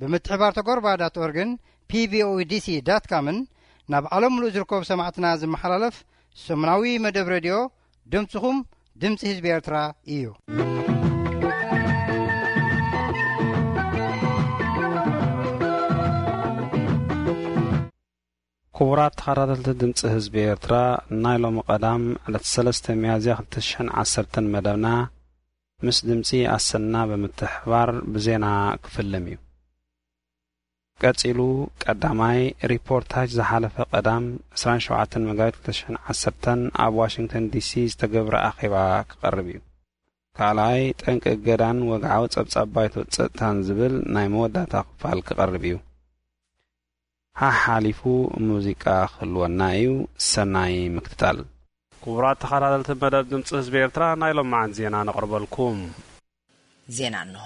ብምትሕባር ተጎርባ ዳት ኦርግን ፒቪኦኢ ዲሲ ዳት ካምን ናብ ዓለም ምሉእ ዝርከቡ ሰማዕትና ዝመሓላለፍ ሰሙናዊ መደብ ሬድዮ ድምፅኹም ድምፂ ህዝቢ ኤርትራ እዩ። ክቡራት ተኸታተልቲ ድምፂ ህዝቢ ኤርትራ፣ ናይ ሎሚ ቀዳም ዕለት ሰለስተ ሚያዝያ ክልተ ሽሕን ዓሰርተን መደብና ምስ ድምፂ ኣሰና ብምትሕባር ብዜና ክፍልም እዩ። ቀጺሉ ቀዳማይ ሪፖርታጅ ዝሓለፈ ቀዳም ዕስራን ሸውዓተን መጋቢት ክልተ ሽሕን ዓሰርተን ኣብ ዋሽንግተን ዲሲ ዝተገብረ ኣኼባ ክቐርብ እዩ። ካልኣይ ጠንቂ እገዳን ወግዓዊ ጸብጻብ ባይቶ ጸጥታን ዝብል ናይ መወዳእታ ክፋል ክቐርብ እዩ። ሓሓሊፉ ሙዚቃ ክህልወና እዩ። ሰናይ ምክትታል። ክቡራት ተኸታተልቲ መደብ ድምፂ ህዝቢ ኤርትራ፣ ናይ ሎማዓንቲ ዜና ነቕርበልኩም። ዜና እንሆ።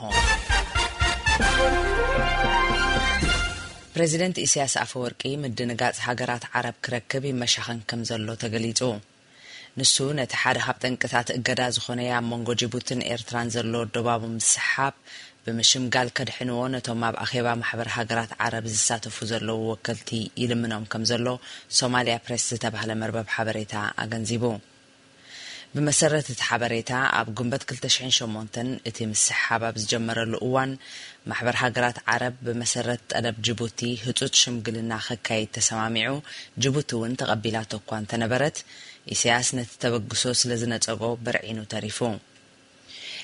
ፕሬዚደንት ኢሳያስ ኣፈወርቂ ምድንጋጽ ሃገራት ዓረብ ክረክብ ይመሻኸን ከም ዘሎ ተገሊጹ። ንሱ ነቲ ሓደ ካብ ጠንቅታት እገዳ ዝኾነ ኣብ መንጎ ጅቡትን ኤርትራን ዘሎ ዶባቡ ምስሓብ ብምሽምጋል ከድሕንዎ ነቶም ኣብ ኣኼባ ማሕበር ሃገራት ዓረብ ዝሳተፉ ዘለዉ ወከልቲ ይልምኖም ከም ዘሎ ሶማልያ ፕሬስ ዝተባህለ መርበብ ሓበሬታ ኣገንዚቡ። ብመሰረት እቲ ሓበሬታ፣ ኣብ ግንቦት ክልተ ሽሕን ሸሞንተን እቲ ምስሕሓብ ኣብ ዝጀመረሉ እዋን፣ ማሕበር ሃገራት ዓረብ ብመሰረት ጠለብ ጅቡቲ ህጹጽ ሽምግልና ከካይድ ተሰማሚዑ፣ ጅቡቲ እውን ተቐቢላቶ እኳ እንተነበረት፣ ኢሳያስ ነቲ ተበግሶ ስለ ዝነጸጎ በርዒኑ ተሪፉ።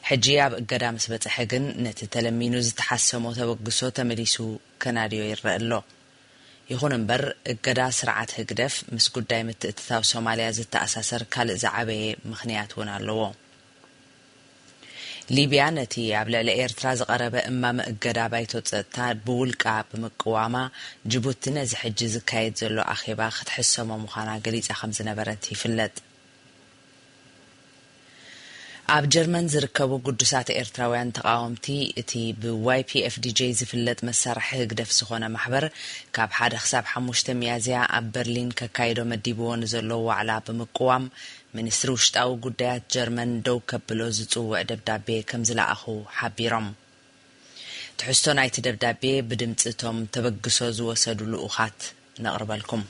ሕጂ ኣብ እገዳ ምስ በጽሐ ግን፣ ነቲ ተለሚኑ ዝተሓሰሞ ተበግሶ ተመሊሱ ከናድዮ ይረአ ኣሎ። ይኹን እምበር፣ እገዳ ስርዓት ህግደፍ ምስ ጉዳይ ምትእትታው ሶማልያ ዝተኣሳሰር ካልእ ዝዓበየ ምኽንያት እውን ኣለዎ። ሊብያ ነቲ ኣብ ልዕሊ ኤርትራ ዝቐረበ እማመ እገዳ ባይቶ ጸጥታ ብውልቃ ብምቅዋማ፣ ጅቡቲ ነዚ ሕጂ ዝካየድ ዘሎ ኣኼባ ክትሕሰሞ ምዃና ገሊጻ ከም ዝነበረት ይፍለጥ። ኣብ ጀርመን ዝርከቡ ግዱሳት ኤርትራውያን ተቓወምቲ፣ እቲ ብ ዋይ ፒ ኤፍ ዲ ጄ ዝፍለጥ መሳርሒ ህግደፍ ዝኾነ ማሕበር፣ ካብ ሓደ ክሳብ ሓሙሽተ ሚያዝያ ኣብ በርሊን ከካይዶ መዲብዎ ንዘሎ ዋዕላ ብምቅዋም፣ ሚኒስትሪ ውሽጣዊ ጉዳያት ጀርመን ደው ከብሎ ዝጽውዕ ደብዳቤ ከም ዝለኣኹ ሓቢሮም። ትሕዝቶ ናይቲ ደብዳቤ ብድምጺ እቶም ተበግሶ ዝወሰዱ ልኡኻት ነቕርበልኩም።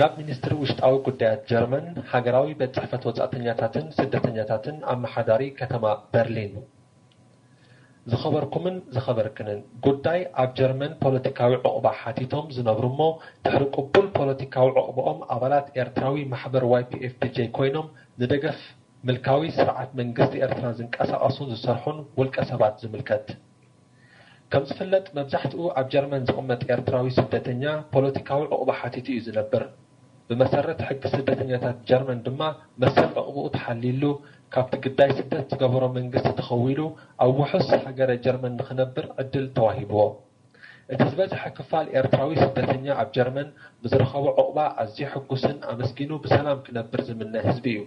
ናብ ሚኒስትሪ ውሽጣዊ ጉዳያት ጀርመን፣ ሃገራዊ ቤት ጽሕፈት ወጻእተኛታትን ስደተኛታትን ኣመሓዳሪ ከተማ በርሊን። ዝኸበርኩምን ዝኸበርክንን፣ ጉዳይ ኣብ ጀርመን ፖለቲካዊ ዑቕባ ሓቲቶም ዝነብሩ እሞ ድሕሪ ቅቡል ፖለቲካዊ ዑቕባኦም ኣባላት ኤርትራዊ ማሕበር ዋይ ፒ ኤፍ ዲ ጄ ኮይኖም ንደገፍ ምልካዊ ስርዓት መንግስቲ ኤርትራ ዝንቀሳቐሱን ዝሰርሑን ውልቀ ሰባት ዝምልከት። ከም ዝፍለጥ፣ መብዛሕትኡ ኣብ ጀርመን ዝቕመጥ ኤርትራዊ ስደተኛ ፖለቲካዊ ዑቕባ ሓቲቱ እዩ ዝነብር። ብመሰረት ሕጊ ስደተኛታት ጀርመን ድማ፣ መሰል ዑቕባኡ ተሓልዩሉ፣ ካብቲ ግዳይ ስደት ዝገበሮ መንግስቲ ተኸዊሉ፣ ኣብ ውሑስ ሃገረ ጀርመን ንኽነብር ዕድል ተዋሂብዎ። እቲ ዝበዝሐ ክፋል ኤርትራዊ ስደተኛ ኣብ ጀርመን ብዝረኸቦ ዑቕባ ኣዝዩ ሕጉስን ኣመስጊኑ ብሰላም ክነብር ዝምነ ህዝቢ እዩ።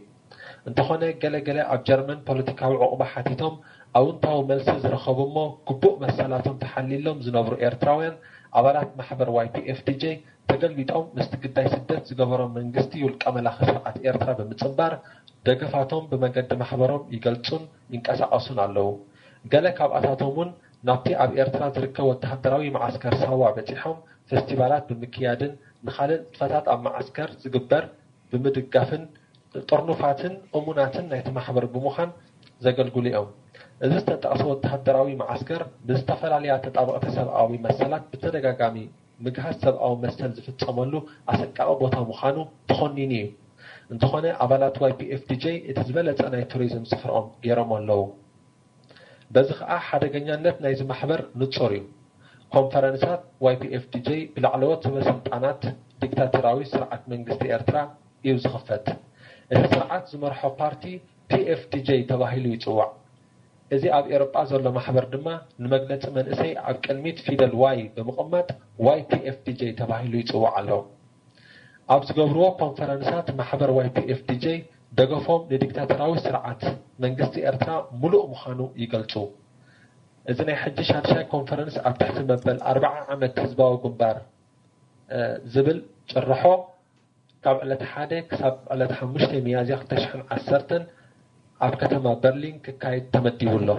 እንተኾነ፣ ገለ ገለ ኣብ ጀርመን ፖለቲካዊ ዑቕባ ሓቲቶም ኣውንታዊ መልሲ ዝረኸቡ እሞ ግቡእ መሰላቶም ተሓልዩሎም ዝነብሩ ኤርትራውያን ኣባላት ማሕበር ዋይ ፒ ኤፍ ዲ ጄ ተገልቢጦም ምስቲ ግዳይ ስደት ዝገበሮም መንግስቲ ውልቀ መላኺ ስርዓት ኤርትራ ብምጽንባር ደገፋቶም ብመገዲ ማሕበሮም ይገልጹን ይንቀሳቐሱን ኣለዉ። ገለ ካብኣታቶም እውን ናብቲ ኣብ ኤርትራ ዝርከብ ወተሃደራዊ መዓስከር ሳዋ በጺሖም ፈስቲቫላት ብምክያድን ንኻልእ ንጥፈታት ኣብ መዓስከር ዝግበር ብምድጋፍን ጥርኑፋትን እሙናትን ናይቲ ማሕበር ብምዃን ዘገልግሉ እዮም። እዚ ዝተጠቕሰ ወተሃደራዊ መዓስከር ብዝተፈላለያ ተጣበቕቲ ሰብኣዊ መሰላት ብተደጋጋሚ ምግሃስ ሰብኣዊ መሰል ዝፍጸመሉ ኣሰቃቒ ቦታ ምዃኑ ተኾኒኑ እዩ። እንተኾነ ኣባላት ዋይ ፒ ኤፍ ዲ ጄ እቲ ዝበለጸ ናይ ቱሪዝም ስፍርኦም ገይሮሞ ኣለዉ። በዚ ኸኣ ሓደገኛነት ናይዚ ማሕበር ንጹር እዩ። ኮንፈረንሳት ዋይ ፒ ኤፍ ዲ ጄ ብላዕለዎት ሰበ ስልጣናት ዲክታቶራዊ ስርዓት መንግስቲ ኤርትራ እዩ ዝኽፈት። እቲ ስርዓት ዝመርሖ ፓርቲ ፒ ኤፍ ዲ ጄ ተባሂሉ ይጽዋዕ። እዚ ኣብ ኤውሮጳ ዘሎ ማሕበር ድማ ንመግለጺ መንእሰይ ኣብ ቅድሚት ፊደል ዋይ ብምቕማጥ ዋይ ፒ ኤፍ ዲ ጄ ተባሂሉ ይጽዋዕ ኣሎ። ኣብ ዝገብርዎ ኮንፈረንሳት ማሕበር ዋይ ፒ ኤፍ ዲ ጄ ደገፎም ንዲክታቶራዊ ስርዓት መንግስቲ ኤርትራ ምሉእ ምዃኑ ይገልጹ። እዚ ናይ ሕጂ ሻድሻይ ኮንፈረንስ ኣብ ትሕቲ መበል ኣርብዓ ዓመት ህዝባዊ ግንባር ዝብል ጭርሖ ካብ ዕለት ሓደ ክሳብ ዕለት ሓሙሽተ ሚያዝያ ክልተ ሽሕን ዓሰርተን ኣብ ከተማ በርሊን ክካየድ ተመዲቡ ኣሎ።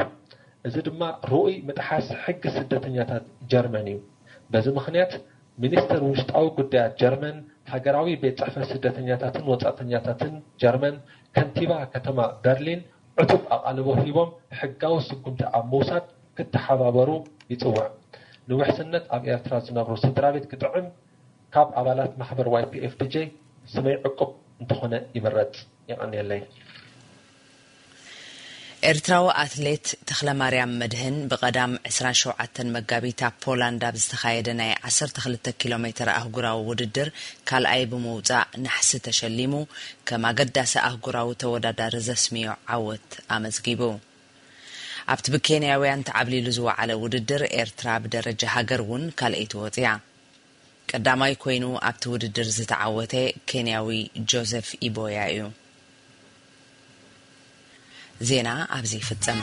እዚ ድማ ርኡይ ምጥሓስ ሕጊ ስደተኛታት ጀርመን እዩ። በዚ ምኽንያት፣ ሚኒስተር ውሽጣዊ ጉዳያት ጀርመን፣ ሃገራዊ ቤት ጽሕፈት ስደተኛታትን ወጻእተኛታትን ጀርመን፣ ከንቲባ ከተማ በርሊን ዕቱብ ኣቓልቦ ሂቦም፣ ሕጋዊ ስጉምቲ ኣብ ምውሳድ ክተሓባበሩ ይጽውዕ። ንውሕስነት ኣብ ኤርትራ ዝነብሩ ስድራ ቤት ክጥዕም፣ ካብ ኣባላት ማሕበር ዋይ ፒ ኤፍ ዲ ጄ ስመይ ዕቁብ እንተኾነ ይምረጽ። የቐንየለይ። ኤርትራዊ ኣትሌት ተኽለማርያም መድህን ብቐዳም ዕስራን ሸውዓተን መጋቢት ኣብ ፖላንድ ኣብ ዝተኻየደ ናይ ዓሰርተ ክልተ ኪሎ ሜትር ኣህጉራዊ ውድድር ካልኣይ ብምውጻእ ናሕሲ ተሸሊሙ፣ ከም ኣገዳሲ ኣህጉራዊ ተወዳዳሪ ዘስምዮ ዓወት ኣመዝጊቡ። ኣብቲ ብኬንያውያን ተዓብሊሉ ዝወዓለ ውድድር፣ ኤርትራ ብደረጃ ሃገር እውን ካልኣይቲ ወጺኣ። ቀዳማይ ኮይኑ ኣብቲ ውድድር ዝተዓወተ ኬንያዊ ጆዘፍ ኢቦያ እዩ። ዜና ኣብዚ ይፍጸም።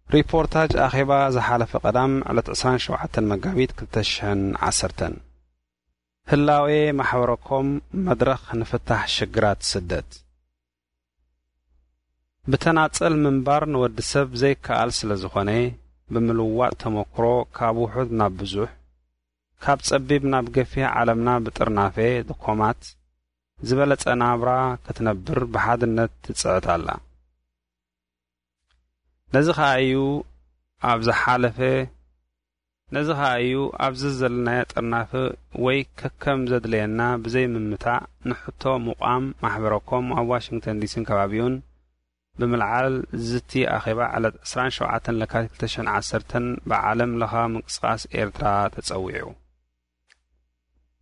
ሪፖርታጅ ኣኼባ ዝሓለፈ ቀዳም ዕለት ዕስራን ሸውዓተን መጋቢት ክልተ ሽሕን ዓሰርተን። ህላዌ ማሕበረኮም መድረኽ ንፍታሕ ሽግራት ስደት። ብተናጸል ምንባር ንወዲ ሰብ ዘይከኣል ስለ ዝኾነ፣ ብምልዋጥ ተመክሮ ካብ ውሑድ ናብ ብዙሕ፣ ካብ ጸቢብ ናብ ገፊሕ ዓለምና ብጥርናፈ ድኮማት ዝበለጸ ናብራ ክትነብር ብሓድነት ትጽዕት ኣላ። ነዚ ኸኣ እዩ ኣብ ዝሓለፈ ነዚ ኸኣ እዩ ኣብዚ ዘለናዮ ጥርናፈ ወይ ከከም ዘድለየና ብዘይ ምምታእ ንሕቶ ምቋም ማሕበረኮም ኣብ ዋሽንግተን ዲሲን ከባቢኡን ብምልዓል ዝዝቲ ኣኼባ ዕለት ዕስራን ሸውዓተን ለካቲት ክልተ ሽሕን ዓሰርተን ብዓለም ለኻዊ ምንቅስቓስ ኤርትራ ተጸዊዑ።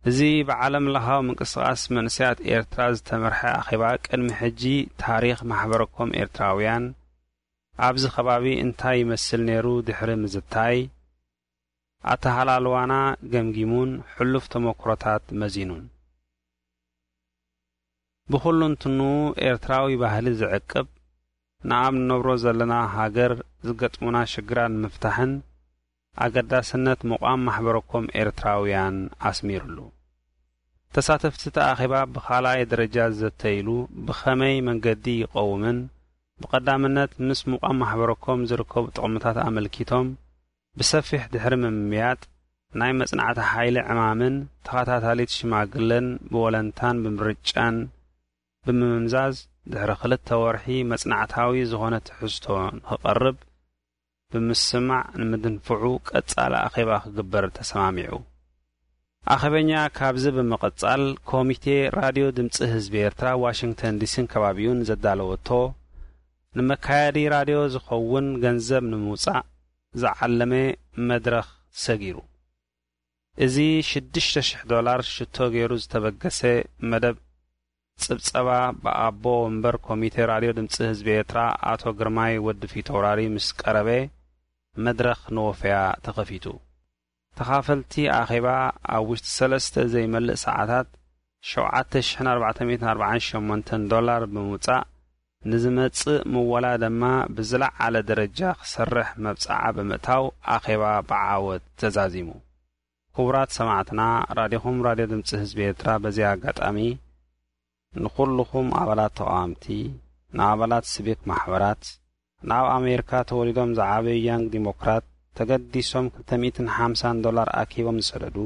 እዚ ብዓለም ለኻዊ ምንቅስቓስ መንእሰያት ኤርትራ ዝተመርሐ ኣኼባ ቅድሚ ሕጂ ታሪኽ ማሕበረኮም ኤርትራውያን ኣብዚ ከባቢ እንታይ ይመስል ነይሩ ድሕሪ ምዝታይ፣ ኣተሃላልዋና ገምጊሙን ሕሉፍ ተመክሮታት መዚኑን። ብኹሉ እንትኑ ኤርትራዊ ባህሊ ዝዕቅብ፣ ንኣብ ንነብሮ ዘለና ሃገር ዝገጥሙና ሽግራት ንምፍታሕን ኣገዳስነት ምቋም ማሕበረኮም ኤርትራውያን ኣስሚሩሉ። ተሳተፍቲ እቲ ኣኼባ ብኻልኣይ ደረጃ ዝዘተይሉ ብኸመይ መንገዲ ይቐውምን ብቐዳምነት ምስ ምቋም ማሕበረኮም ዝርከቡ ጥቕምታት ኣመልኪቶም ብሰፊሕ ድሕሪ ምምያጥ፣ ናይ መጽናዕቲ ሓይሊ ዕማምን ተኸታታሊት ሽማግለን ብወለንታን ብምርጫን ብምምዛዝ፣ ድሕሪ ክልተ ወርሒ መጽናዕታዊ ዝኾነ ትሕዝቶ ንኽቐርብ ብምስማዕ ንምድንፍዑ ቀጻሊ ኣኼባ ክግበር ተሰማሚዑ። ኣኼበኛ ካብዚ ብምቕጻል፣ ኮሚቴ ራድዮ ድምጺ ህዝቢ ኤርትራ ዋሽንግተን ዲሲን ከባቢኡን ዘዳለወቶ፣ ንመካየዲ ራድዮ ዝኸውን ገንዘብ ንምውጻእ ዝዓለመ መድረኽ ሰጊሩ። እዚ ሽዱሽተ ሽሕ ዶላር ሽቶ ገይሩ ዝተበገሰ መደብ ጽብጸባ ብኣቦ ወንበር ኮሚቴ ራድዮ ድምጺ ህዝቢ ኤርትራ ኣቶ ግርማይ ወዲ ፊተውራሪ ምስ ቀረበ፣ መድረኽ ንወፈያ ተኸፊቱ። ተኻፈልቲ ኣኼባ ኣብ ውሽጢ ሰለስተ ዘይመልእ ሰዓታት ሸውዓተ ሽሕን ኣርባዕተ ሚእትን ኣርባዓን ሸሞንተን ዶላር ብምውጻእ፣ ንዝመጽእ ምወላ ድማ ብዝለዓለ ደረጃ ክሰርሕ መብጽዓ ብምእታው ኣኼባ ብዓወት ተዛዚሙ። ክቡራት ሰማዕትና፣ ራዲኹም ራድዮ ድምጺ ህዝቢ ኤርትራ በዚ ኣጋጣሚ ንኹልኹም ኣባላት ተቓወምቲ፣ ንኣባላት ሲቪክ ማሕበራት፣ ንኣብ ኣሜሪካ ተወሊዶም ዝዓበዩ ያንግ ዲሞክራት ተገዲሶም ክልተ ሚእትን ሓምሳን ዶላር ኣኪቦም ዝሰደዱ፣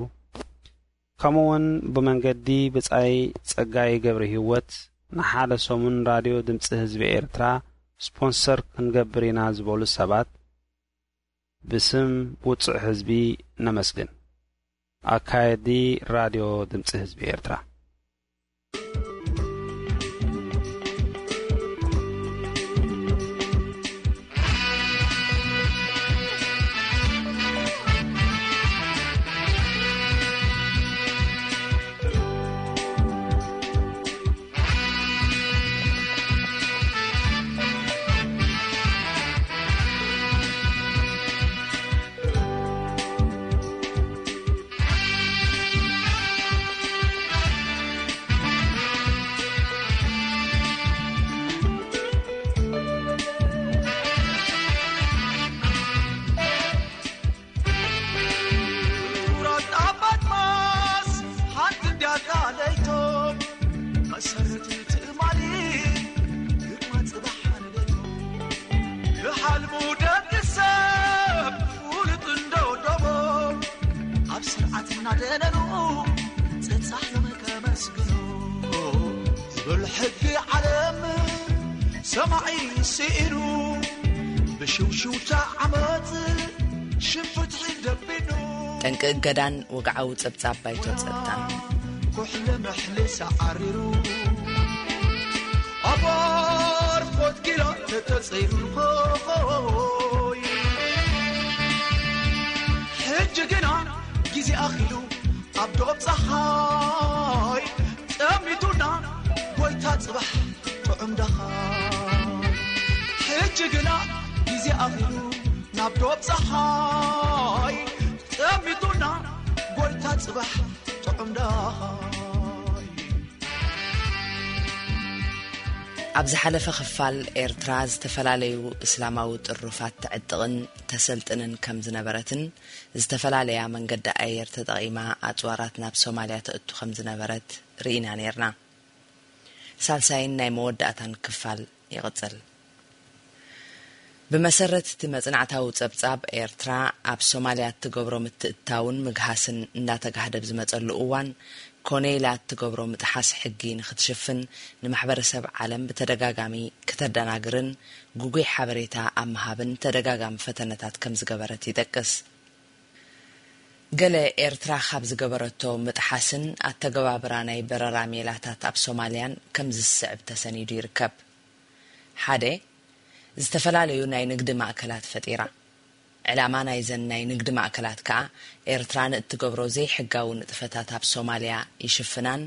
ከምኡውን ብመንገዲ ብጻይ ጸጋይ ገብረ ህይወት ንሓደ ሰሙን ራድዮ ድምጺ ህዝቢ ኤርትራ ስፖንሰር ክንገብር ኢና ዝበሉ ሰባት ብስም ውጹዕ ህዝቢ ነመስግን። ኣካየዲ ራድዮ ድምጺ ህዝቢ ኤርትራ። ሕጊ ዓለም ሰማዒ ስኢኑ፣ ብሽውሽውታ ዓመት ሽም ፍትሒ ደቢኑ። ጠንቂ እገዳን ወግዓዊ ጸብጻብ ባይቶ ጸጥታን። ኩሕሊ ምሕሊ ሰዓሪሩ፣ ኣብ ኣርኮት ጊላ ተተጸይሩ። ሕጂ ግና ግዜ ኣኺሉ፣ ኣብ ዶብ ጸሓይ ጠሚቱና ጎይታ ጽባሕ ጥዑም ደኻ። ሕጂ ግና ግዜ ኣኺሉ፣ ናብ ዶብ ጸሓይ ጠሚቱና ጎይታ ጽባሕ ጥዑም ደኻ። ኣብ ዝሓለፈ ክፋል፣ ኤርትራ ዝተፈላለዩ እስላማዊ ጥሩፋት ተዕጥቕን ተሰልጥንን ከም ዝነበረትን፣ ዝተፈላለያ መንገዲ ኣየር ተጠቒማ ኣጽዋራት ናብ ሶማልያ ተእቱ ከም ዝነበረት ርኢና ነይርና። ሳልሳይን ናይ መወዳእታን ክፋል ይቕጽል። ብመሰረት እቲ መጽናዕታዊ ጸብጻብ፣ ኤርትራ ኣብ ሶማልያ እትገብሮ ምትእትታውን ምግሃስን እንዳተጋህደ ብዝመጸሉ እዋን፣ ኮነ ኢላ እትገብሮ ምጥሓስ ሕጊ ንኽትሽፍን ንማሕበረሰብ ዓለም ብተደጋጋሚ ክተደናግርን ግጉይ ሓበሬታ ኣብ ምሃብን ተደጋጋሚ ፈተነታት ከም ዝገበረት ይጠቅስ። ገለ ኤርትራ ካብ ዝገበረቶ ምጥሓስን ኣተገባብራ ናይ በረራ ሜላታት ኣብ ሶማልያን ከም ዝስዕብ ተሰኒዱ ይርከብ። ሓደ፣ ዝተፈላለዩ ናይ ንግዲ ማእከላት ፈጢራ። ዕላማ ናይዘን ናይ ንግዲ ማእከላት ከኣ፣ ኤርትራ ንእትገብሮ ዘይሕጋዊ ንጥፈታት ኣብ ሶማልያ ይሽፍናን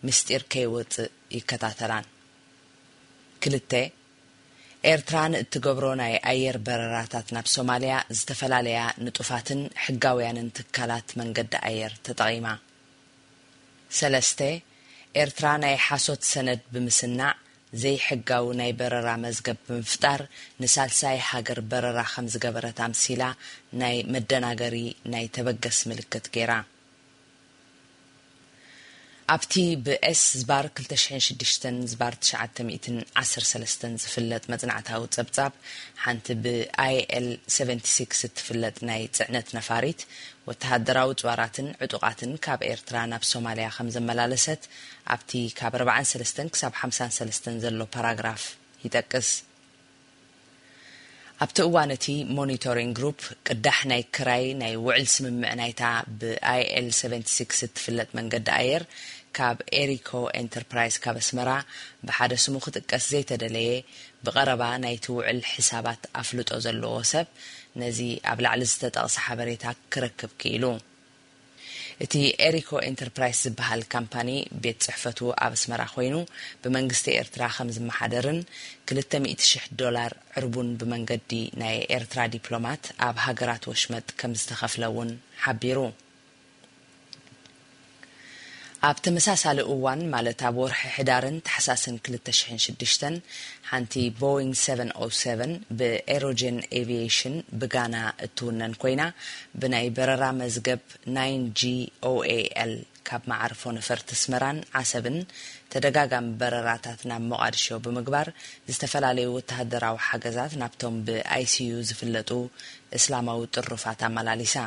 ምስጢር ከይወጽእ ይከታተላን። ክልተ፣ ኤርትራ ንእትገብሮ ናይ ኣየር በረራታት ናብ ሶማልያ ዝተፈላለያ ንጡፋትን ሕጋውያንን ትካላት መንገዲ ኣየር ተጠቒማ። ሰለስተ፣ ኤርትራ ናይ ሓሶት ሰነድ ብምስናዕ ዘይሕጋዊ ናይ በረራ መዝገብ ብምፍጣር ንሳልሳይ ሃገር በረራ ከም ዝገበረት ኣምሲላ ናይ መደናገሪ ናይ ተበገስ ምልክት ገይራ። ኣብቲ ብኤስ ዝባር ክልተ ሽሕን ሽዱሽተን ዝባር ትሽዓተ ሚእትን ዓሰርተ ሰለስተን ዝፍለጥ መጽናዕታዊ ጸብጻብ፣ ሓንቲ ብኣይ ኤል ሰቨንቲ ሲክስ እትፍለጥ ናይ ጽዕነት ነፋሪት፣ ወተሃደራዊ ጽዋራትን ዕጡቓትን ካብ ኤርትራ ናብ ሶማልያ ከም ዘመላለሰት፣ ኣብቲ ካብ ኣርባዓን ሰለስተን ክሳብ ሓምሳን ሰለስተን ዘሎ ፓራግራፍ ይጠቅስ። ኣብቲ እዋን፣ እቲ ሞኒቶሪንግ ግሩፕ ቅዳሕ ናይ ክራይ ናይ ውዕል ስምምዕ ናይታ ብኣይ ኤል ሰቨንቲ ሲክስ እትፍለጥ መንገዲ ኣየር፣ ካብ ኤሪኮ ኤንተርፕራይዝ ካብ ኣስመራ፣ ብሓደ ስሙ ክጥቀስ ዘይተደለየ፣ ብቐረባ ናይቲ ውዕል ሕሳባት ኣፍልጦ ዘለዎ ሰብ፣ ነዚ ኣብ ላዕሊ ዝተጠቕሰ ሓበሬታ ክረክብ ክኢሉ። እቲ ኤሪኮ ኤንተርፕራይስ ዝበሃል ካምፓኒ ቤት ጽሕፈቱ ኣብ ኣስመራ ኮይኑ፣ ብመንግስቲ ኤርትራ ከም ዝመሓደርን ክልተ ሚእቲ ሽሕ ዶላር ዕርቡን ብመንገዲ ናይ ኤርትራ ዲፕሎማት ኣብ ሃገራት ወሽመጥ ከም ዝተኸፍለ እውን ሓቢሩ። ኣብ ተመሳሳሊ እዋን፣ ማለት ኣብ ወርሒ ሕዳርን ታሕሳስን ክልተ ሽሕን ሽዱሽተን፣ ሓንቲ ቦይንግ ሰቨን ኦ ሰቨን ብኤሮጀን ኤቪዬሽን ብጋና እትውነን ኮይና፣ ብናይ በረራ መዝገብ ናይን ጂ ኦ ኤ ኤል ካብ መዓርፎ ነፈርቲ ኣስመራን ዓሰብን ተደጋጋሚ በረራታት ናብ ሞቓድሾ ብምግባር፣ ዝተፈላለዩ ወተሃደራዊ ሓገዛት ናብቶም ብ ኣይ ሲ ዩ ዝፍለጡ እስላማዊ ጥሩፋት ኣመላሊሳ።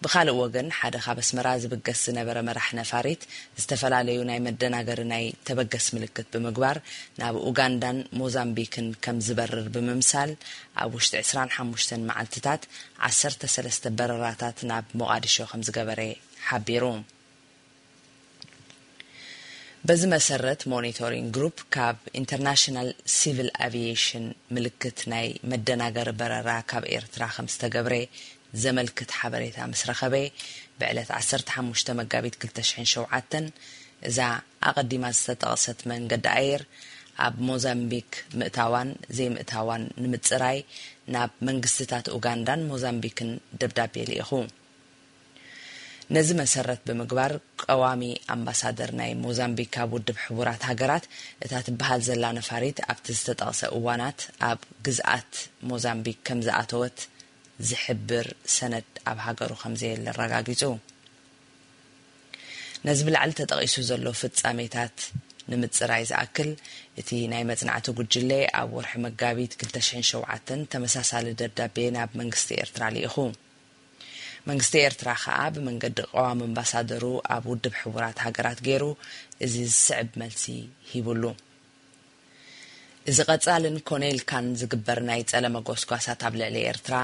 ብኻልእ ወገን፣ ሓደ ካብ ኣስመራ ዝብገስ ዝነበረ መራሕ ነፋሪት፣ ዝተፈላለዩ ናይ መደናገሪ ናይ ተበገስ ምልክት ብምግባር፣ ናብ ኡጋንዳን ሞዛምቢክን ከም ዝበርር ብምምሳል፣ ኣብ ውሽጢ ዕስራን ሓሙሽተን መዓልትታት ዓሰርተ ሰለስተ በረራታት ናብ ሞቓድሾ ከም ዝገበረ ሓቢሩ። በዚ መሰረት፣ ሞኒቶሪንግ ግሩፕ ካብ ኢንተርናሽናል ሲቪል ኣቪዬሽን ምልክት ናይ መደናገሪ በረራ ካብ ኤርትራ ከም ዝተገብረ ዘመልክት ሓበሬታ ምስ ረኸበ፣ ብዕለት ዓሰርተ ሓሙሽተ መጋቢት ክልተ ሽሕን ሸውዓተን፣ እዛ ኣቐዲማ ዝተጠቕሰት መንገዲ ኣየር ኣብ ሞዛምቢክ ምእታዋን ዘይምእታዋን ንምጽራይ፣ ናብ መንግስትታት ኡጋንዳን ሞዛምቢክን ደብዳቤ ልኢኹ። ነዚ መሰረት ብምግባር፣ ቀዋሚ ኣምባሳደር ናይ ሞዛምቢክ ኣብ ውድብ ሕቡራት ሃገራት፣ እታ ትበሃል ዘላ ነፋሪት ኣብቲ ዝተጠቕሰ እዋናት ኣብ ግዝኣት ሞዛምቢክ ከም ዝኣተወት ዝሕብር ሰነድ ኣብ ሃገሩ ከም ዘየለ ኣረጋጊጹ። ነዚ ብላዕሊ ተጠቒሱ ዘሎ ፍጻሜታት ንምጽራይ ዝኣክል፣ እቲ ናይ መጽናዕቲ ጉጅለ ኣብ ወርሒ መጋቢት ክልተ ሽሕን ሸውዓተን ተመሳሳሊ ደብዳቤ ናብ መንግስቲ ኤርትራ ልኢኹ። መንግስቲ ኤርትራ ከኣ ብመንገዲ ቀዋሚ ኣምባሳደሩ ኣብ ውድብ ሕቡራት ሃገራት ገይሩ እዚ ዝስዕብ መልሲ ሂቡሉ። እዚ ቀጻልን ኮነ ኢልካን ዝግበር ናይ ጸለመ ጎስጓሳት ኣብ ልዕሊ ኤርትራ፣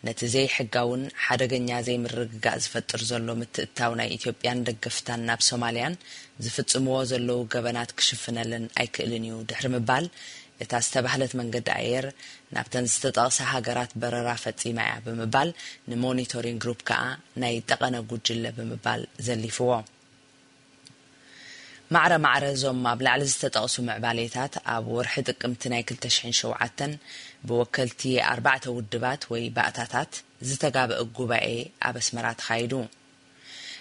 ነቲ ዘይሕጋውን ሓደገኛ ዘይምርግጋእ ዝፈጥር ዘሎ ምትእትታው ናይ ኢትዮጵያን ደገፍታን ናብ ሶማልያን ዝፍጽምዎ ዘለዉ ገበናት ክሽፍነለን ኣይክእልን እዩ ድሕሪ ምባል፣ እታ ዝተባህለት መንገዲ ኣየር ናብተን ዝተጠቕሳ ሃገራት በረራ ፈጺማ እያ ብምባል ንሞኒቶሪንግ ግሩፕ ከኣ ናይ ጠቐነ ጉጅለ ብምባል ዘሊፍዎ። ማዕረ ማዕረ እዞም ኣብ ላዕሊ ዝተጠቕሱ ምዕባሌታት ኣብ ወርሒ ጥቅምቲ ናይ ክልተ ሽሕን ሸውዓተን ብወከልቲ ኣርባዕተ ውድባት ወይ ባእታታት ዝተጋብአ ጉባኤ ኣብ ኣስመራ ተኻይዱ።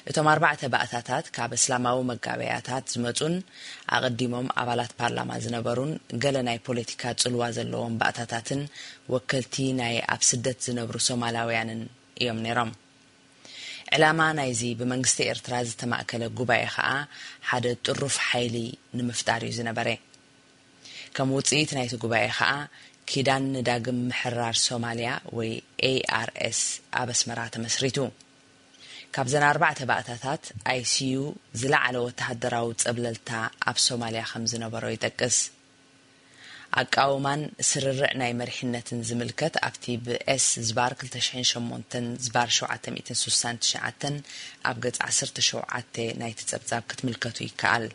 እቶም ኣርባዕተ ባእታታት ካብ እስላማዊ መጋበያታት ዝመጹን ኣቐዲሞም ኣባላት ፓርላማ ዝነበሩን ገለ ናይ ፖለቲካ ጽልዋ ዘለዎም ባእታታትን ወከልቲ ናይ ኣብ ስደት ዝነብሩ ሶማላውያንን እዮም ነይሮም። ዕላማ ናይዚ ብመንግስቲ ኤርትራ ዝተማእከለ ጉባኤ ከኣ ሓደ ጥሩፍ ሓይሊ ንምፍጣር እዩ ዝነበረ። ከም ውጽኢት ናይቲ ጉባኤ ከኣ ኪዳን ንዳግም ምሕራር ሶማልያ ወይ ኤኣርኤስ ኣብ ኣስመራ ተመስሪቱ። ካብዘን ኣርባዕተ ባእታታት ኣይሲዩ ዝለዓለ ወተሃደራዊ ጸብለልታ ኣብ ሶማልያ ከም ዝነበሮ ይጠቅስ። ኣቃውማን ስርርዕ ናይ መሪሕነትን ዝምልከት ኣብቲ ብኤስ ዝባር ክልተ ሽሕን ሸሞንተን ዝባር ሸውዓተ ሚእትን ስሳን ትሽዓተን ኣብ ገጽ ዓሰርተ ሸውዓተ ናይቲ ጸብጻብ ክትምልከቱ ይከኣል።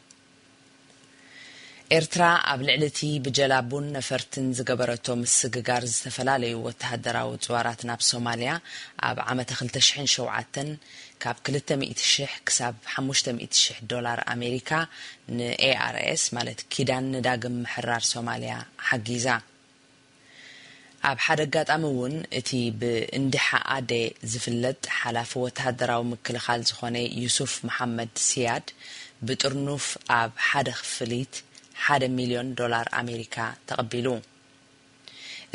ኤርትራ ኣብ ልዕሊ እቲ ብጀላቡን ነፈርትን ዝገበረቶ ምስግጋር ዝተፈላለዩ ወተሃደራዊ ጽዋራት ናብ ሶማልያ ኣብ ዓመተ ክልተ ሽሕን ሸውዓተን ካብ ክልተ ሚእቲ ሽሕ ክሳብ ሓሙሽተ ሚእቲ ሽሕ ዶላር ኣሜሪካ ንኤኣርኤስ ማለት ኪዳን ንዳግም ምሕራር ሶማልያ ሓጊዛ። ኣብ ሓደ ኣጋጣሚ እውን እቲ ብእንዲሓ ኣዴ ዝፍለጥ ሓላፊ ወተሃደራዊ ምክልኻል ዝኾነ ዩሱፍ መሓመድ ሲያድ ብጥርኑፍ ኣብ ሓደ ክፍሊት ሓደ ሚልዮን ዶላር ኣሜሪካ ተቐቢሉ።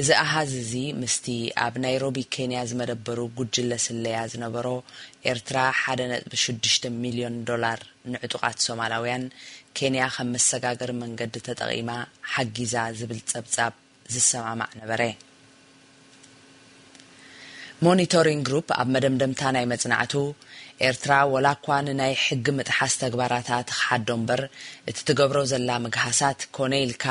እዚ ኣሃዝ እዚ ምስቲ ኣብ ናይሮቢ ኬንያ ዝመደበሩ ጉጅለ ስለያ ዝነበሮ ኤርትራ ሓደ ነጥቢ ሽዱሽተ ሚልዮን ዶላር ንዕጡቓት ሶማላውያን ኬንያ ከም መሰጋገሪ መንገዲ ተጠቒማ ሓጊዛ ዝብል ጸብጻብ ዝሰማማዕ ነበረ። ሞኒቶሪንግ ግሩፕ ኣብ መደምደምታ ናይ መጽናዕቱ፣ ኤርትራ ወላ እኳ ንናይ ሕጊ ምጥሓስ ተግባራታ ትኽሓዶ እምበር፣ እቲ ትገብሮ ዘላ ምግሃሳት ኮነ ኢልካ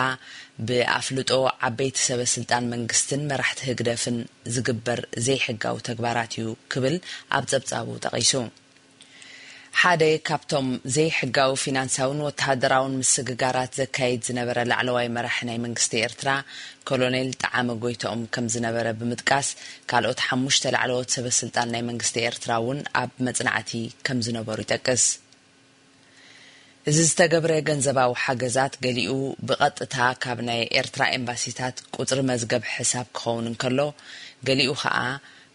ብኣፍልጦ ዓበይቲ ሰበ ስልጣን መንግስትን መራሕቲ ህግደፍን ዝግበር ዘይሕጋዊ ተግባራት እዩ ክብል ኣብ ጸብጻቡ ጠቒሱ። ሓደ ካብቶም ዘይሕጋዊ ፊናንሳውን ወተሃደራውን ምስግጋራት ዘካይድ ዝነበረ ላዕለዋይ መራሒ ናይ መንግስቲ ኤርትራ ኮሎኔል ጠዓመ ጎይትኦም ከም ዝነበረ ብምጥቃስ፣ ካልኦት ሓሙሽተ ላዕለዎት ሰበ ስልጣን ናይ መንግስቲ ኤርትራ እውን ኣብ መጽናዕቲ ከም ዝነበሩ ይጠቅስ። እዚ ዝተገብረ ገንዘባዊ ሓገዛት ገሊኡ ብቐጥታ ካብ ናይ ኤርትራ ኤምባሲታት ቁጽሪ መዝገብ ሕሳብ ክኸውን እንከሎ፣ ገሊኡ ኸኣ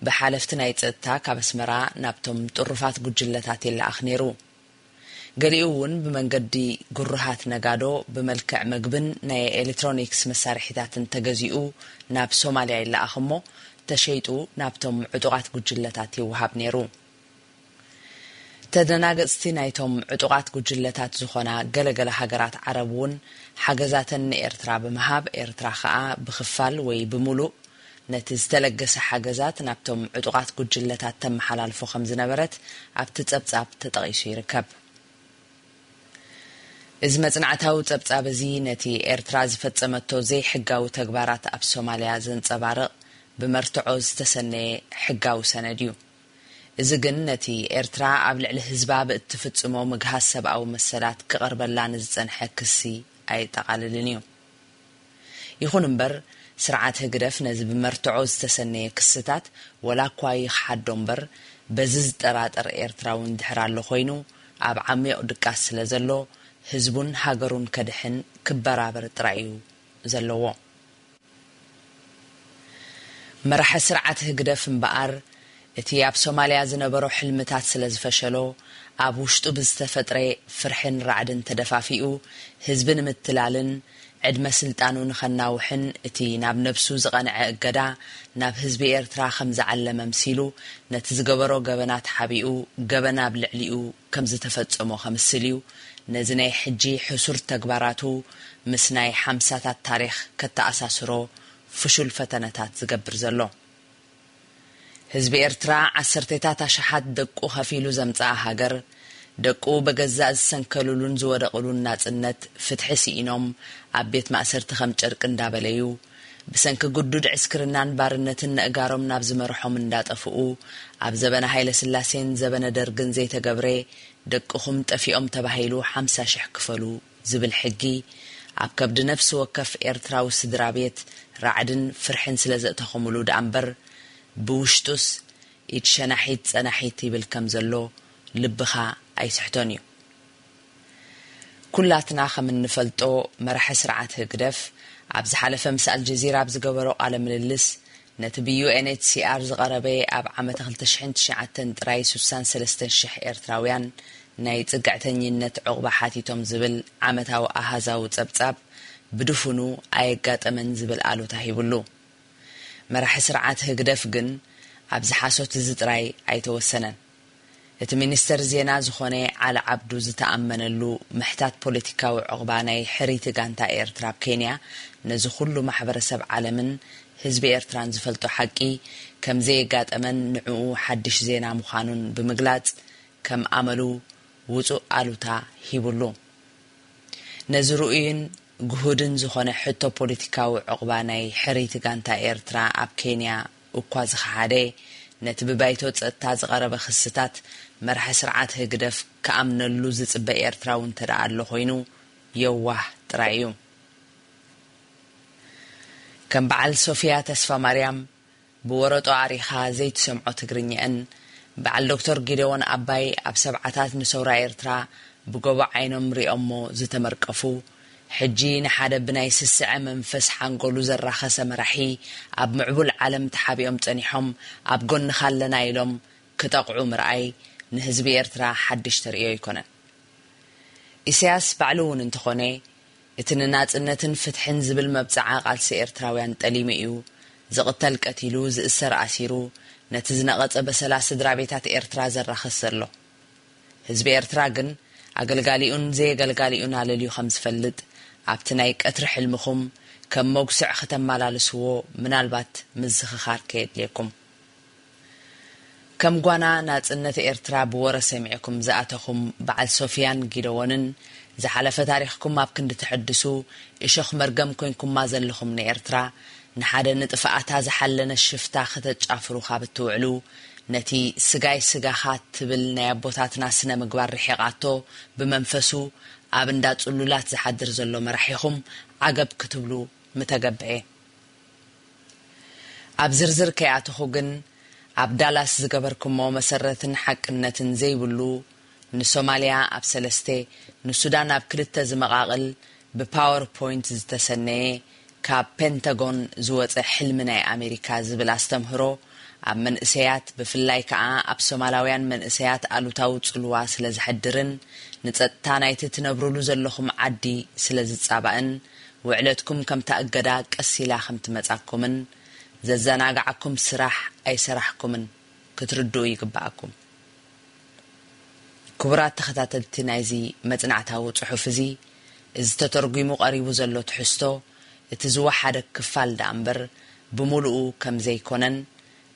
ብሓለፍቲ ናይ ጸጥታ ካብ ኣስመራ ናብቶም ጥሩፋት ጉጅለታት ይለኣኽ ነይሩ። ገሊኡ እውን ብመንገዲ ግሩሃት ነጋዶ ብመልክዕ መግብን ናይ ኤሌክትሮኒክስ መሳርሒታትን ተገዚኡ ናብ ሶማልያ ይለኣኽ እሞ፣ ተሸይጡ ናብቶም ዕጡቓት ጉጅለታት ይወሃብ ነይሩ። ተደናገጽቲ ናይቶም ዕጡቓት ጉጅለታት ዝኾና ገለገለ ሃገራት ዓረብ እውን ሓገዛተን ንኤርትራ ብምሃብ፣ ኤርትራ ኸኣ ብኽፋል ወይ ብምሉእ ነቲ ዝተለገሰ ሓገዛት ናብቶም ዕጡቓት ጉጅለታት ተመሓላልፎ ከም ዝነበረት ኣብቲ ጸብጻብ ተጠቒሱ ይርከብ። እዚ መጽናዕታዊ ጸብጻብ እዚ ነቲ ኤርትራ ዝፈጸመቶ ዘይሕጋዊ ተግባራት ኣብ ሶማልያ ዘንጸባርቕ ብመርትዖ ዝተሰነየ ሕጋዊ ሰነድ እዩ። እዚ ግን ነቲ ኤርትራ ኣብ ልዕሊ ህዝባ ብእትፍጽሞ ምግሃስ ሰብኣዊ መሰላት ክቐርበላ ንዝጸንሐ ክሲ ኣየጠቓልልን እዩ። ይኹን እምበር፣ ስርዓት ህግደፍ ነዚ ብመርትዖ ዝተሰነየ ክስታት ወላ እኳ ይኽሓዶ እምበር፣ በዚ ዝጠራጠር ኤርትራዊ እንድሕር ኣሎ ኮይኑ፣ ኣብ ዓሚቕ ድቃስ ስለ ዘሎ፣ ህዝቡን ሃገሩን ከድሕን ክበራበር ጥራይ እዩ ዘለዎ። መራሒ ስርዓት ህግደፍ እምበኣር፣ እቲ ኣብ ሶማልያ ዝነበሮ ሕልምታት ስለ ዝፈሸሎ፣ ኣብ ውሽጡ ብዝተፈጥረ ፍርሕን ራዕድን ተደፋፊኡ፣ ህዝቢ ንምትላልን ዕድመ ስልጣኑ ንኸናውሕን እቲ ናብ ነብሱ ዝቐንዐ እገዳ ናብ ህዝቢ ኤርትራ ከም ዝዓለመ ኣምሲሉ፣ ነቲ ዝገበሮ ገበናት ሓቢኡ፣ ገበን ኣብ ልዕሊኡ ከም ዝተፈጸሞ ከምስል እዩ። ነዚ ናይ ሕጂ ሕሱር ተግባራቱ ምስ ናይ ሓምሳታት ታሪኽ ከተኣሳስሮ ፍሹል ፈተነታት ዝገብር ዘሎ። ህዝቢ ኤርትራ ዓሰርተታት ኣሽሓት ደቁ ከፊሉ ዘምጽኣ ሃገር፣ ደቁ በገዛእ ዝሰንከሉሉን ዝወደቕሉን ናጽነት፣ ፍትሒ ስኢኖም ኣብ ቤት ማእሰርቲ ከም ጨርቂ እንዳበለዩ፣ ብሰንኪ ግዱድ ዕስክርናን ባርነትን ነእጋሮም ናብ ዝመርሖም እንዳጠፍኡ፣ ኣብ ዘበነ ሃይለ ስላሴን ዘበነ ደርግን ዘይተገብረ፣ ደቅኹም ጠፊኦም ተባሂሉ ሓምሳ ሽሕ ክፈሉ ዝብል ሕጊ፣ ኣብ ከብዲ ነፍሲ ወከፍ ኤርትራዊ ስድራ ቤት ራዕድን ፍርሕን ስለ ዘእተኹምሉ ደኣ እምበር፣ ብውሽጡስ ኢድ ሸናሒት ጸናሒት ይብል ከም ዘሎ ልብኻ ኣይስሕቶን እዩ። ኩላትና ከም እንፈልጦ፣ መራሒ ስርዓት ህግደፍ ኣብ ዝሓለፈ ምስ ኣልጀዚራ ኣብ ዝገበሮ ቃለ ምልልስ፣ ነቲ ብ ዩ ኤን ኤች ሲ ኣር ዝቐረበ ኣብ ዓመተ ክልተ ሽሕን ትሽዓተን ጥራይ ሱሳን ሰለስተን ሽሕ ኤርትራውያን ናይ ጽግዕተኝነት ዕቑባ ሓቲቶም ዝብል ዓመታዊ ኣሃዛዊ ጸብጻብ ብድፉኑ ኣየጋጠመን ዝብል ኣሉታ ሂብሉ። መራሒ ስርዓት ህግደፍ ግን ኣብዚ ሓሶት እዚ ጥራይ ኣይተወሰነን። እቲ ሚኒስተር ዜና ዝኾነ ዓሊ ዓብዱ ዝተኣመነሉ ምሕታት ፖለቲካዊ ዕቑባ ናይ ሕርይቲ ጋንታ ኤርትራ ኣብ ኬንያ ነዚ ኩሉ ማሕበረሰብ ዓለምን ህዝቢ ኤርትራን ዝፈልጦ ሓቂ ከም ዘየጋጠመን ንዕኡ ሓድሽ ዜና ምዃኑን ብምግላጽ ከም ኣመሉ ውጹእ ኣሉታ ሂቡሉ። ነዚ ርኡይን ግሁድን ዝኾነ ሕቶ ፖለቲካዊ ዕቑባ ናይ ሕርይቲ ጋንታ ኤርትራ ኣብ ኬንያ እኳ ዝኸሓደ፣ ነቲ ብባይቶ ጸጥታ ዝቐረበ ክስታት መራሒ ስርዓት ህግደፍ ክኣምነሉ ዝጽበ ኤርትራዊ እንተ ደኣ ኣሎ ኮይኑ፣ የዋህ ጥራይ እዩ። ከም በዓል ሶፊያ ተስፋ ማርያም፣ ብወረጦ ኣሪኻ ዘይትሰምዖ ትግርኛ'ን፣ በዓል ዶክተር ጊደዎን ኣባይ ኣብ ሰብዓታት ንሰውራ ኤርትራ ብጎቦ ዓይኖም ሪኦሞ ዝተመርቀፉ፣ ሕጂ ንሓደ ብናይ ስስዐ መንፈስ ሓንጎሉ ዘራኸሰ መራሒ ኣብ ምዕቡል ዓለም ተሓቢኦም ጸኒሖም ኣብ ጎንኻ ኣለና ኢሎም ክጠቕዑ ምርኣይ ንህዝቢ ኤርትራ ሓድሽ ተርእዮ ኣይኮነን። ኢሳያስ ባዕሉ እውን እንተኾነ፣ እቲ ንናጽነትን ፍትሕን ዝብል መብጽዓ ቃልሲ ኤርትራውያን ጠሊሙ እዩ፣ ዝቕተል ቀቲሉ፣ ዝእሰር ኣሲሩ፣ ነቲ ዝነቐጸ በሰላ ስድራ ቤታት ኤርትራ ዘራኽስ ዘሎ። ህዝቢ ኤርትራ ግን ኣገልጋሊኡን ዘየገልጋሊኡን ኣለልዩ ከም ዝፈልጥ፣ ኣብቲ ናይ ቀትሪ ሕልምኹም ከም መጉስዕ ከተመላልስዎ ምናልባት ምዝኽኻር ከየድልየኩም። ከም ጓና ናጽነት ኤርትራ ብወረ ሰሚዕኩም ዝኣተኹም በዓል ሶፍያን ጊደዎንን፣ ዝሓለፈ ታሪኽኩም ኣብ ክንዲ ተሐድሱ፣ እሾኽ መርገም ኮይንኩማ ዘለኹም ንኤርትራ፣ ንሓደ ንጥፍኣታ ዝሓለነ ሽፍታ ከተጫፍሩ ካብ እትውዕሉ፣ ነቲ ስጋይ ስጋኻ ትብል ናይ ኣቦታትና ስነ ምግባር ርሒቓቶ ብመንፈሱ ኣብ እንዳ ጽሉላት ዝሓድር ዘሎ መራሒኹም ዓገብ ክትብሉ ምተገብኤ። ኣብ ዝርዝር ከይኣተኹ ግን፣ ኣብ ዳላስ ዝገበርኩሞ መሰረትን ሓቅነትን ዘይብሉ፣ ንሶማልያ ኣብ ሰለስተ፣ ንሱዳን ኣብ ክልተ ዝመቓቕል፣ ብፓወር ፖይንት ዝተሰነየ፣ ካብ ፔንታጎን ዝወጸ ሕልሚ ናይ ኣሜሪካ ዝብል ኣስተምህሮ፣ ኣብ መንእሰያት፣ ብፍላይ ከኣ ኣብ ሶማላውያን መንእሰያት ኣሉታዊ ጽልዋ ስለ ዘሕድርን፣ ንጸጥታ ናይቲ ትነብሩሉ ዘለኹም ዓዲ ስለ ዝጻባእን፣ ውዕለትኩም ከምታ እገዳ ቀስ ኢላ ከም ትመጻኩምን፣ ዘዘናግዓኩም ስራሕ ኣይሰራሕኩምን ክትርድኡ ይግብኣኩም። ክቡራት ተኸታተልቲ ናይዚ መጽናዕታዊ ጽሑፍ እዚ፣ እዚ ተተርጒሙ ቀሪቡ ዘሎ ትሕዝቶ፣ እቲ ዝወሓደ ክፋል ደኣ እምበር፣ ብምሉኡ ከም ዘይኮነን፣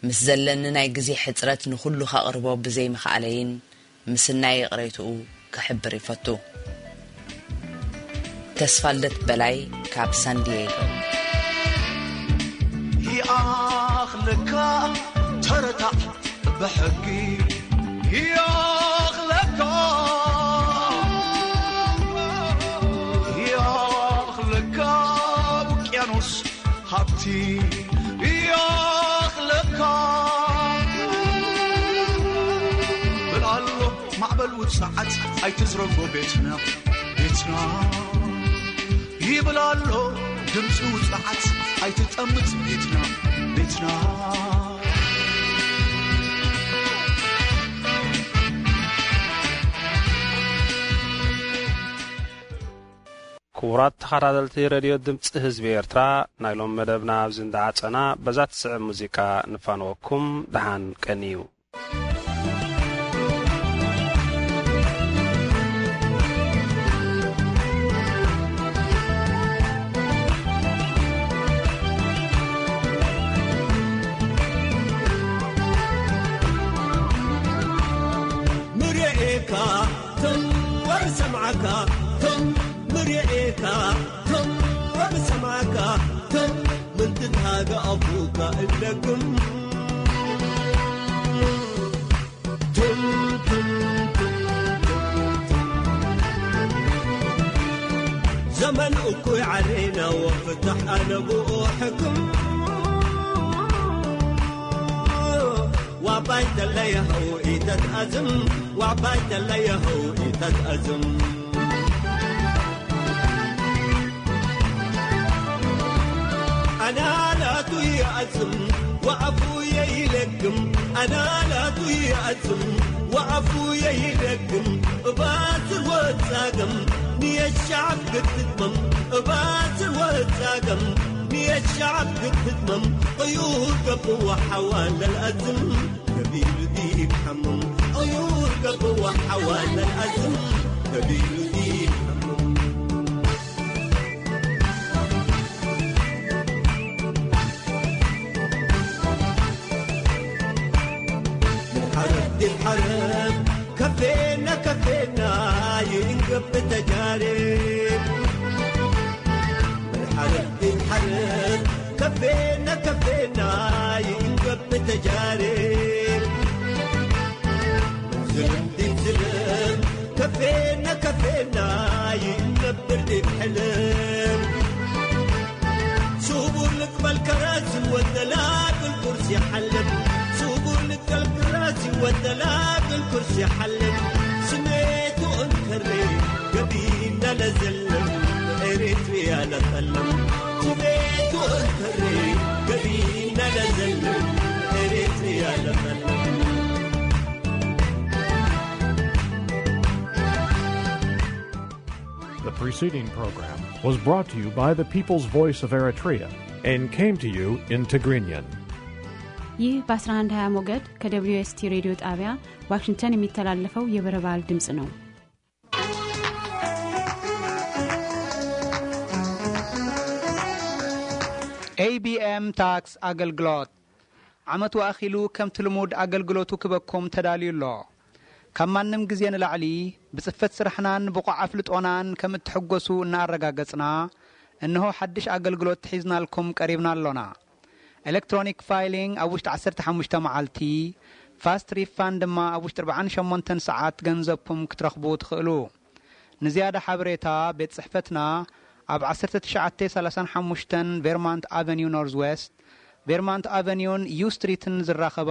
ምስ ዘለኒ ናይ ግዜ ሕጽረት ንኹሉ ከቕርቦ ብዘይምኽኣለይን፣ ምስናይ ይቕሬትኡ ክሕብር ይፈቱ። ተስፋልደት በላይ ካብ ሳንዲየጎ። ይኣኽለካ ተረታዕ ብሕጊ ይኣኽለካ፣ ይኣኽለካ ውቅያኖስ ሃብቲ ይኣኽለካ። በል ኣሎ ማዕበል ውጽዓት ኣይትዝረጎ ቤትና፣ ቤትና ይብል ኣሎ ድምፂ ውጽዓት ኣይትጠምት ቤትና፣ ቤትና። ክቡራት ተኸታተልቲ ሬድዮ ድምፂ ህዝቢ ኤርትራ፣ ናይ ሎም መደብና ኣብዚ እንዳዓጸና፣ በዛ ትስዕብ ሙዚቃ ንፋንወኩም። ደሓን ቀንዩ። ትም ወብሰምዓካ ትም ምርኤካ ትም ወብሰምዓካ ትም ምንትታገ ኣፉካ እደግም ትም ትም ትም ትም ትም ዘመን እኩይ ዓሌና ወፍትሕ ኣነብኡ ሕክም ዋባይ ተለየኸው ኢተትኣዝም ዋባይ ተለየኸው ኢተትኣዝም ኣናላቱ ይኣዝም ወኣፉ የይለግም ኣናላቱ ይኣዝም ወኣፉ የይለግም እባስር ወጻገም ንየሻዕብ ክትትመም እባስር ወጻገም ንየሻዕብ ክትትመም ቅዩር ገብዋ ሓዋ ለልኣዝም ገቢሉ ዲብ ሓምም ቅዩር ገብዋ ሓዋ ለልኣዝም ገቢሉ ዲብ ሓምም ሓረብ ዲብ ሓረብ ከፌና ከፌና ይእንገብ ተጃርብ ሓረብ ዲብ ሓረብ ከፌና ከፌና ይእንገብ ተጃርብ ዝልም ዲብ ዝልም ከፌና ከፌና ይእንገብር ዲብ ሕልም ስቡር ልቅበል ከራሲ ወደላግል ቁርሲ ሓልም ስቡር ልቅበል ከራሲ ወደላግል ቁርሲ ሓልም ስሜቱ እንከሬ ገቢና ለዘልም ኤሪትሪያ ለጠልም ስሜቱ እንከሬ ገቢና ለዘልም ኤሪትሪያ ለጠልም The preceding program was brought to you by the People's Voice of Eritrea and came to you in Tigrinya. ይህ በ1120 ሞገድ ከ W S T ሬዲዮ ጣቢያ ዋሽንግተን የሚተላለፈው የበረባል ድምፅ ነው። A B M ታክስ ኣገልግሎት ዓመቱ ኣኺሉ ከምቲ ልሙድ ኣገልግሎቱ ክበኩም ተዳልዩ ኣሎ። ካብ ማንም ግዜ ንላዕሊ ብጽፈት ስራሕናን ብቑዕ ኣፍልጦናን ከም እትሕጎሱ እናኣረጋገጽና፣ እንሆ ሓድሽ ኣገልግሎት ሒዝናልኩም ቀሪብና ኣሎና። ኤሌክትሮኒክ ፋይሊንግ ኣብ ውሽጢ ዓሰርተ ሓሙሽተ መዓልቲ፣ ፋስት ሪፋንድ ድማ ኣብ ውሽጢ ኣርብዓን ሸሞንተን ሰዓት ገንዘብኩም ክትረኽቡ ትኽእሉ። ንዝያዳ ሓበሬታ ቤት ጽሕፈትና ኣብ ዓሰርተ ትሽዓተ ሰላሳን ሓሙሽተን ቬርማንት ኣቨኒው ኖርዝ ዌስት፣ ቬርማንት ኣቨኒውን ዩ ስትሪትን ዝራኸባ